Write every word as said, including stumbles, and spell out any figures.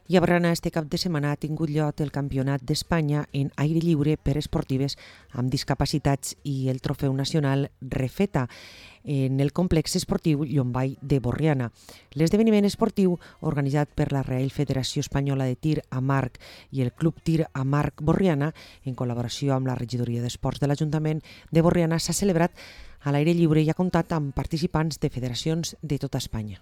I a Borriana este cap de setmana ha tingut lloc el Campionat d'Espanya en aire lliure per esportives amb discapacitats i el Trofeu Nacional Refeta en el complex esportiu Llombai de Borriana. L'esdeveniment esportiu, organitzat per la Reial Federació Espanyola de Tir amb Arc i el Club Tir amb Arc Borriana, en col·laboració amb la Regidoria d'Esports de l'Ajuntament de Borriana, s'ha celebrat a l'aire lliure i ha comptat amb participants de federacions de tota Espanya.